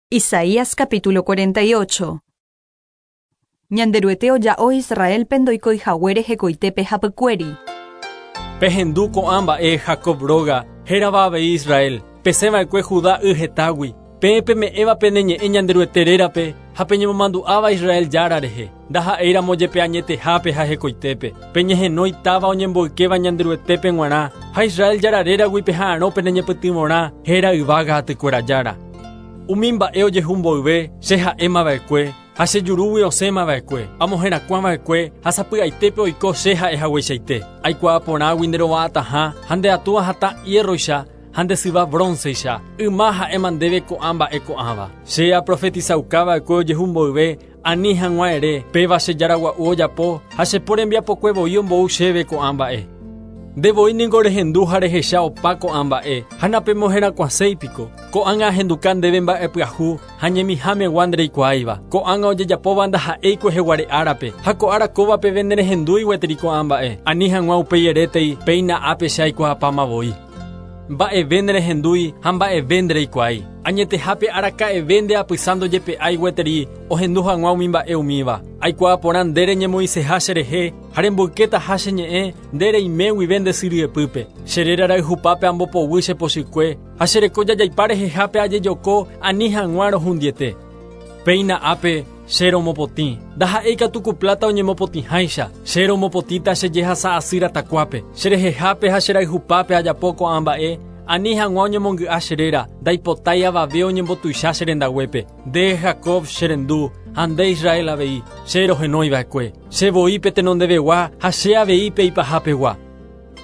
Isaías capítulo 48. Ñanderuete oja'o Israélpe ndoikói haguére hekoitépe hapykuéri. Pehendu ko'ã mba'e Jacob róga, hérava avei Israel, pesẽ va'ekue Judá y hetágui, peẽ peme'ẽva pene ñe'ẽ Ñanderuete rérape ha peñemomandu'áva Israel Jára rehe, ndaha'éiramo jepe añetehápe ha hekoitépe. Peñehenói táva oñemboykéva Ñanderuetépe g̃uarã, ha Israel Jára réragui peha'arõ pene ñepytyvõrã, héra yvága atykuéra Jára. Umi mba'e ojehu mboyve, che ha'éma va'ekue, ha che jurúgui osẽma va'ekue, amoherakuã va'ekue ha sapy'aitépe oiko che ha'e hagueichaite. Aikuaa porãgui nde rova'atãha ha nde atúva hatã hiérroicha ha nde syva brónceicha, yma ha'éma ndéve ko'ã mba'e ko'ãva. Che aprofetisauka va'ekue ojehu mboyve, ani hag̃ua ere, Péva che Jára gua'u ojapo, ha che po rembiapokue voi ombou chéve ko'ã mba'e. Nde voi ningo rehendu ha rehecha opa ko'ã mba'e, ha napemoherakuãséi piko. Ko'ág̃a ahenduka ndéve mba'e pyahu ha ñemiha megua ndereikuaáiva. Ko'ág̃a ojejapóva ndaha'éi kueheguare árape, ha ko ára kóva peve nerehendúi gueteri ko'ã mba'e. Ani hag̃ua upéi erétei, Péina ápe che aikuaapáma voi. Mba'eve nerehendúi ha mba'eve ndereikuaái. Añetehápe araka'eve nde apysa ndojepe'ái gueteri ohendu hag̃ua umi mba'e umíva. Aikuaa porã nde reñemoĩseha cherehe ha remboykétaha che ñe'ẽ nde reime guive nde sy ryepýpe. Che réra rayhupápe ambopoguy che pochykue ha che reko jajaipa rehehápe ajejoko ani hag̃ua rohundiete. Péina ápe che romopotĩ, ndaha'éi katu ku pláta oñemopotĩháicha, che romopotĩta che jehasa asy ratakuápe. Che rehehápe ha che rayhupápe ajapo ko'ã mba'e, ani hag̃ua oñemongy'a che réra, ndaipotái avave oñembotuicha che rendaguépe. Nde, Jacob, che rendu, ha nde, Israel avei, che rohenói va'ekue. Che voi pe tenondevegua ha che avei pe ipahapegua.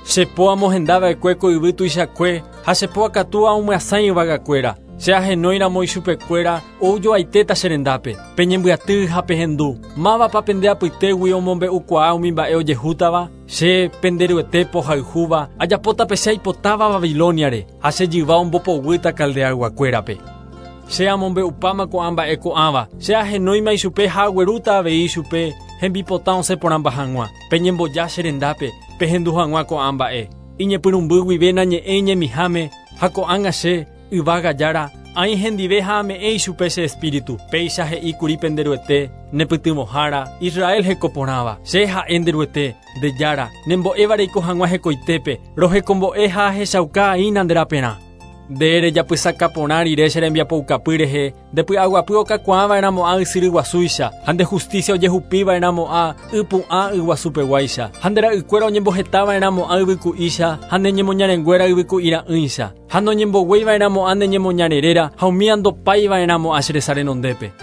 Che po amohenda va'ekue ko yvy tuichakue ha che po akatúa omyasãi yvagakuéra. Che ahenóiramo ichupekuéra ou joaitéta che rendápe. Peñembyaty ha pehendu. Mávapa pende apytégui omombe'ukuaa umi mba'e ojehútava? Che, pende Ruete pohayhúva, ajapóta pe che aipotáva Babilóniare, ha che jyva ombopoguýta Caldeayguakuérape. Che amombe'upáma ko'ã mba'e ko'ãva, che ahenóima ichupe ha aguerúta avei ichupe hembipota osẽ porãmba hag̃ua. Peñemboja che rendápe, pehendu hag̃ua ko'ã mba'e. Iñepyrũmby guive nañe'ẽ iñemiháme, ha ko'ág̃a che, yvága Jára, aĩ hendive ha ame'ẽ ichupe che espíritu. Péicha he'i kuri pende Ruete, ne pytyvõhára, Israel heko porãva. Che ha'e nde Ruete, nde Jára, nembo'éva reiko hag̃ua hekoitépe, rohekombo'e ha ahechauka aína nde raperã. Nde rejapysaka porã rire che rembiapoukapy rehe, nde py'aguapy okakuaa va'erãmo'ã ysyry guasúicha, ha nde hustísia ojehupi va'erãmo'ã y pu'ã yguasupeguáicha, ha nde ra'ykuéra oñemboheta va'erãmo'ã yvyku'ícha, ha ne ñemoñarenguéra yvyku'ira'ỹicha, ha noñemboguéi va'erãmo'ã ne ñemoñare réra, ha umía ndopái va'erãmo'ã che resa renondépe.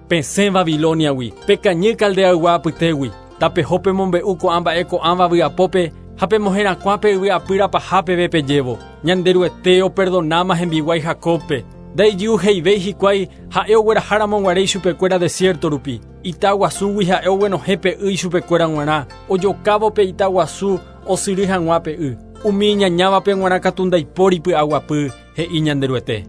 Pesẽ Babilóniagui, pekañy Caldeaygua apytégui, tapeho pemombe'u ko'ã mba'e ko'ãva vy'apópe ha pemoherakuã pe yvy apýra paha peve pejévo. Ñanderuete operdonáma hembiguái Jacóbpe, ndaijy'uheivéi hikuái ha'e ogueraháramo guare ichupekuéra desiérto rupi. Ita guasúgui ha'e oguenohẽ pe y ichupekuéra g̃uarã, ojokávo pe ita guasu osyry hag̃ua pe y. Umi iñañávape g̃uarã katu ndaipóri py'aguapy, he'i Ñanderuete.